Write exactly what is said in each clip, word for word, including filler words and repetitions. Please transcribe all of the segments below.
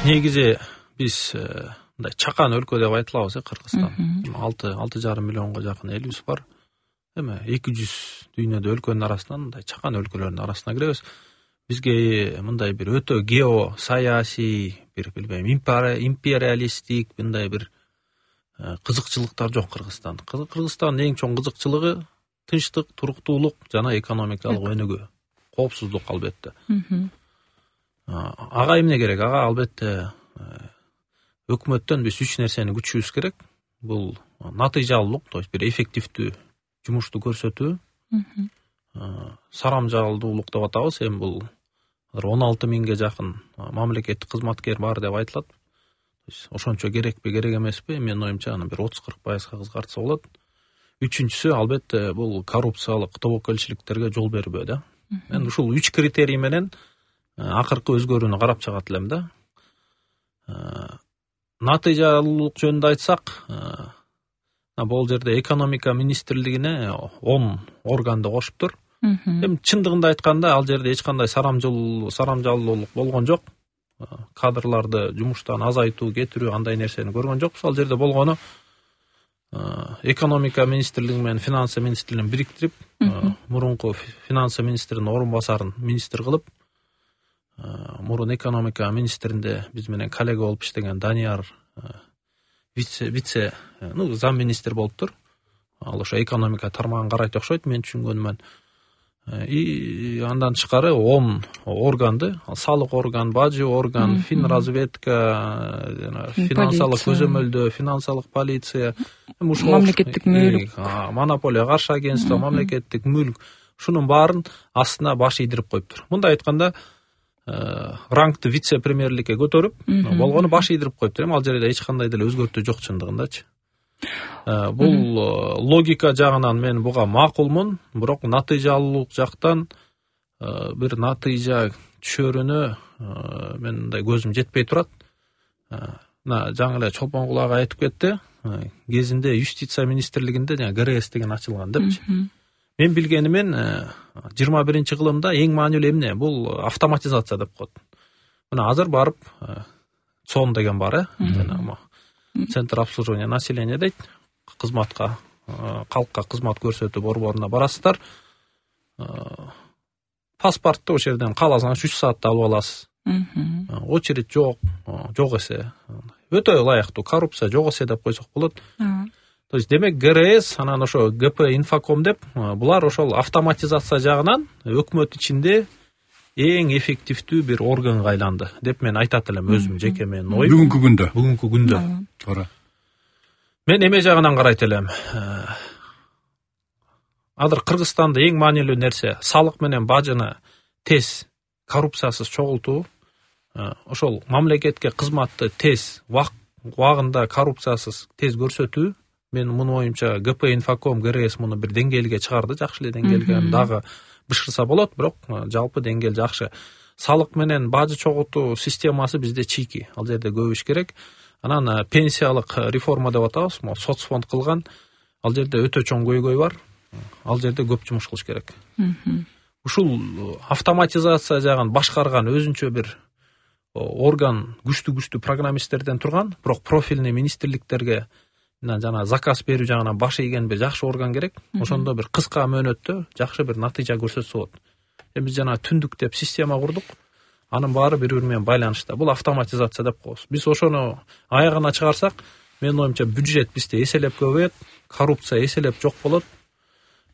негизи биз мындай чакан өлкө деп айтылабыз э Кыргызстан. алты алты жарым миллионго жакын элибиз бар. Эми эки жүз дүйнөдө өлкөнүн арасынан мындай чакан өлкөлөрдүн арасына киребиз. Бизге мындай бир өтө гео саясий, бир билбейм, империалисттик мындай бир кызыкчылыктар жок Кыргызстан. Кыргызстандын эң чоң кызыкчылыгы тынчтык, туруктуулук жана экономикалык өнүгүү, коопсуздук албетте. Ага эмне керек? Ага албетте өкмөттөн биз үч нерсени күтүшүбүз керек. Бул натыйжалуулук, то есть бир эффективдүү жумушту көрсөтүү. Сарамжалдуулук деп атабыз. Эми бул он алты миңге жакын мамлекеттик кызматкер бар деп айтылат. Ошончо керекпи, керек эмеспи? Менин оюмча аны бир отуз кырк пайызга кыскартса болот. Үчүнчүсү албетте бул коррупциялык тобокелчиликтерге жол бербөө да. Мен ушул үч критерий менен акыркы өзгөрүүнү карап чыгат элем да. Натыйжалуулук жөнүндө айтсак, бул жерде экономика министрлигине он органды кошуптур. Эми чындыгында айтканда ал жерде эч кандай сарамжалуулук болгон жок. Кадрларды жумуштан азайтуу, кетирүү андай нерсени көргөн жокпуз. Ал жерде болгону экономика министрлиги менен финансы министрлигин бириктирип, мурунку финансы министринин орун басарын министр кылып, мурун экономика министринде биз менен коллега болуп иштеген Данияр вице вице ну зам министр болуптур. Ал ошо экономика тармагын карайт окшойт, мен түшүнгөнүмөн. И андан тышкары он органды, салык орган, бажы орган, финразведка, финансылык көзөмөлдөө, финансылык полиция, мамлекеттик мүлк, монополия каршы агентство, мамлекеттик мүлк, шунун баарын астына баш ийдирип коюптур. Мындай айтканда, рангты вице-премьерликке көтөрүп, болгону баш ийдирип коюптур. Эми ал жерде эч кандай деле өзгөртүү жок чындыгындачы. Бул логика жагынан мен буга макулмун, бирок натыйжалуулук жактан бир натыйжа түшөрүнө мен мындай көзүм жетпей турат. Мына жаңы эле Чолпон Кулак айтып кетти, кезинде юстиция министрлигинде жана ГРС деген ачылган депчи. Мен билгенимен жыйырма биринчи кылымда эң маанилүү эмне? Бул автоматизация деп коет. Мына азыр барып ЦОН деген бар, э? Центр обслуживания населения дейт. Кызматка, калкка кызмат көрсөтүү борборуна барасыздар. Паспортты ошол жерден кааласаңыз үч саатта алып аласыз. Очередь жок, жок эсе. Өтө ылайыктуу, коррупция жок эсе деп койсок болот. То есть демек ГРС, анан ошо ГП Инфоком деп, булар ошол автоматизация жагынан өкмөт ичинде эң эффективдүү бир органга айланды деп мен айтат элем, өзүм жеке менин оюм. Бүгүнкү күндө. Бүгүнкү күндө. Туура. Мен эме жагынан карайт элем. Азыр Кыргызстанда эң маанилүү нерсе салык менен бажыны тез, коррупциясыз чогултуу. Ошол мамлекетке кызматты тез, убагында коррупциясыз тез көрсөтүү. Мен мунун оюмча ГП Инфоком, ГРС муну бир деңгээлге чыгарды, жакшы эле деңгээлге, дагы бышкырса болот, бирок жалпы деңгээл жакшы. Салык менен бажы чогултуу системасы бизде чийки, ал жерде көп иш керек. Анан пенсиялык реформа деп атабыз, соцфонд кылган, ал жерде өтө чоң көйгөй бар. Ал жерде көп жумуш кылыш керек. Ушул автоматизация жагын башкарган өзүнчө бир орган күчтүү-күчтүү программисттерден турган, бирок профильный министрликтерге жана заказ берүү жагынан баш ийген бир жакшы орган керек. Ошондо бир кыска мөөнөттө жакшы бир натыйжа көрсөтсө болот. Эми биз жана түндүк деп система курдук. Анын баары бири-бири менен байланышта. Бул автоматизация деп коебуз. Биз ошону аягына чыгарсак, менин оюмча бюджет бизде эселеп көбөйөт, коррупция эселеп жок болот.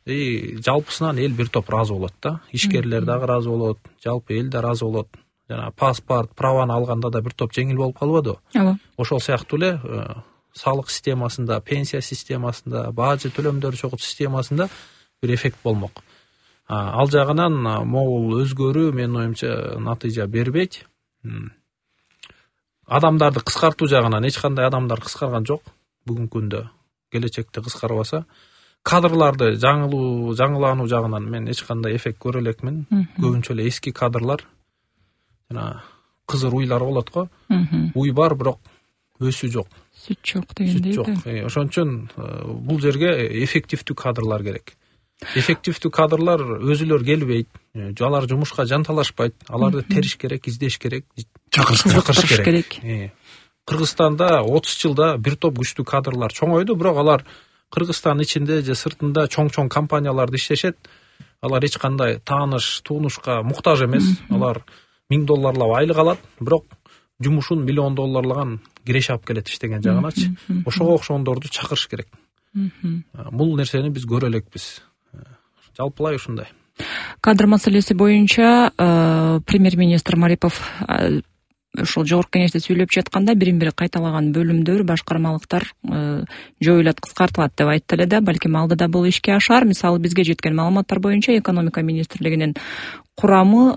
И жалпысынан эл бир топ ыраазы болот да. Ишкерлер дагы ыраазы болот, жалпы эл да ыраазы болот. Жана паспорт, праваны алганда да бир топ жеңил болуп калбадыбы? Ооба. Ошол сыяктуу эле салык системасында, пенсия системасында, бажы төлөмдөр чогултуу системасында бир эффект болмок. Ал жагынан могул өзгөрүү менин оюмча натыйжа бербейт. Адамдарды кыскартуу жагынан эч кандай адамдар кыскарган жок бүгүнкү күндө. Келечекте кыскарбаса, кадрларды жаңылуу, жаңылануу жагынан мен эч кандай эффект көрө элекмин. Көбүнчө эле эски кадрлар, жана кызыр уйлар болот го. Уй бар, бирок өсүү жок. Сүт жок дегендей. Сүт жок. Ошон үчүн бул жерге эффективдүү кадрлар керек. Эффективдүү кадрлар өзүлөр келбейт, алар жумушка жанталашпайт, аларды териш керек, издеш керек, чакырыш керек. Кыргызстанда отуз жылда бир топ күчтүү кадрлар чоңойду, бирок алар Кыргызстан ичинде же сыртында чоң-чоң компанияларда иштешет. Алар эч кандай тааныш, туунушка муктаж эмес. Алар миң долларлап айлык алат, бирок жумушун миллион долларлаган киреше алып келет иштеген жагыначы. Ошого окшогондорду чакырыш керек. Бул нерсени биз көрө элекпиз. Жалпылай ушундай. Кадр маселеси боюнча премьер-министр Марипов ушул жогорку кеңеште сүйлөп жатканда бирин-бири кайталаган бөлүмдөр, башкармалыктар жоюлат, кыскартылат деп айтты эле да, балким алдыда бул ишке ашар. Мисалы бизге жеткен маалыматтар боюнча экономика министрлигинин курамы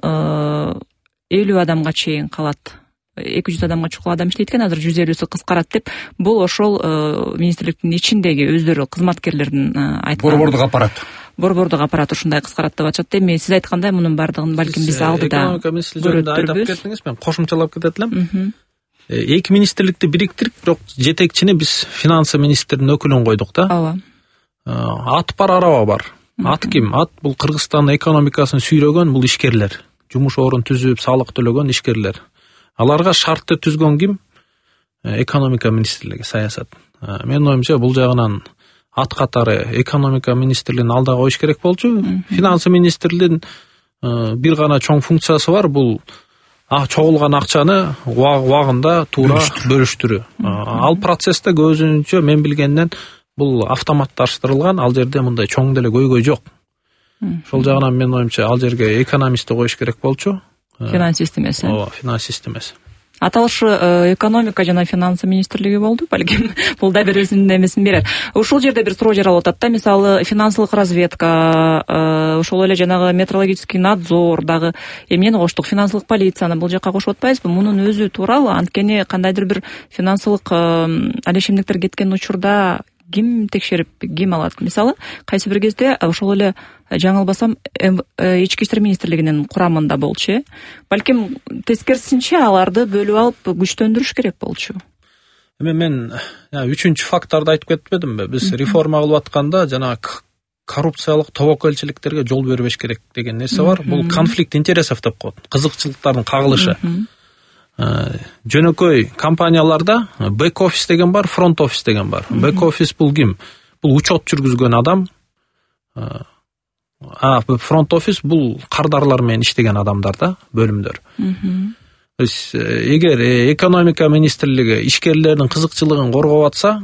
элүү адамга чейин калат. эки жүз адамга чукул адам иштейт экен, азыр жүз элүүсү кыскарат деп. Бул ошол министрликтин ичиндеги өздөрү кызматкерлердин айткан. Борбордук аппарат. Борбордук аппарат ушундай кыскарат деп атышат. Эми сиз айткандай мунун бардыгын балким биз алдыда көрөттүрбүз. Кеттиңиз, мен кошумчалап кетет элем. Эки министрликти бириктирип, бирок жетекчини биз финансы министринин өкүлүн койдук да. Ооба. Ат бар, араба бар. Ат ким? Ат бул Кыргызстандын экономикасын сүйрөгөн бул ишкерлер. Жумуш орун түзүп, салык төлөгөн ишкерлер. Аларга шартты түзгөн ким? Экономика министрлиги, саясат. Менин оюмча бул жагынан ат катары экономика министрлигин алда коюш керек болчу. Финансы министрлигинин бир гана чоң функциясы бар, бул чогулган акчаны убагында туура бөлүштүрүү. Ал процессте көзүнчө мен билгенден бул автоматташтырылган, ал жерде мындай чоң деле көйгөй жок. Ошол жагынан менин оюмча ал жерге экономистти коюш керек болчу. Финансист эмес. Ооба, финансист эмес. Аталышы экономика жана финансы министрлиги болду, балким бул да бир өзүнүн эмесин берет. Ушул жерде бир суроо жаралып атат да, мисалы финансылык разведка, ошол эле жанагы метрологический надзор дагы эмнени коштук, финансылык полицияны бул жакка кошуп атпайбызбы? Мунун өзү тууралуу, анткени кандайдыр бир финансылык алешемдиктер кеткен учурда ким текшерип, ким алат? Мисалы, кайсы бир кезде ошол эле жаңылбасам ички иштер министрлигинин курамында болчу, э? Балким тескерисинче аларды бөлүп алып күчтөндүрүш керек болчу. Эми мен үчүнчү факторду айтып кетпедимби? Биз реформа кылып атканда жана коррупциялык тобокелчиликтерге жол бербеш керек деген нерсе бар. Бул конфликт интересов деп коет. Кызыкчылыктардын кагылышы. Жөнөкөй компанияларда бэк-офис деген бар, фронт-офис деген бар. Бэк-офис бул ким? Бул учет жүргүзгөн адам. А фронт-офис бул кардарлар менен иштеген адамдар да, бөлүмдөр. Эгер экономика министрлиги ишкерлердин кызыкчылыгын коргоп атса,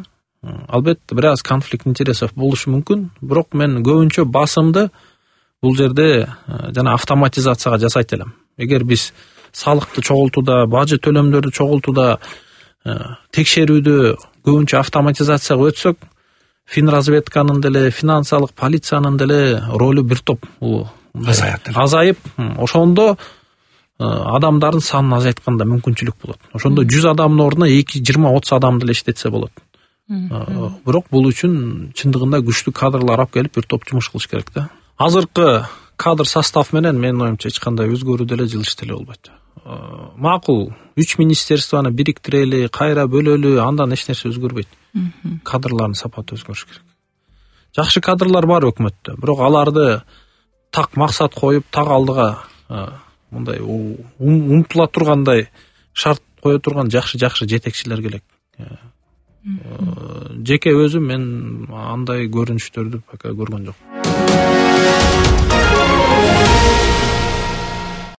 албетте бир аз конфликт интересов болушу мүмкүн. Бирок мен көбүнчө басымды бул жерде жана автоматизацияга жасайт элем. Эгер биз салыкты чогултууда, бажы төлөмдөрдү чогултууда, текшерүүдө көбүнчө автоматизацияга өтсөк, финразведканын деле, финансылык полициянын деле ролу бир топ азайып, ошондо адамдардын санын азайтканда мүмкүнчүлүк болот. Ошондо жүз адамдын ордуна эки жыйырма отуз адам деле иштетсе болот. Бирок бул үчүн чындыгында күчтүү кадрлар алып келип бир топ жумуш кылыш керек да. Азыркы кадр состав менен менин оюмча эч кандай өзгөрүү деле жылыш деле болбойт. Макул, үч министерствону бириктирели, кайра бөлөлү, андан эч нерсе өзгөрбөйт. Кадрлардын сапаты өзгөрүш керек. Жакшы кадрлар бар өкмөттө, бирок аларды так максат коюп, так алдыга мындай умтула тургандай шарт кое турган жакшы-жакшы жетекчилер керек. Жеке өзүм мен андай көрүнүштөрдү пока көргөн жокмун.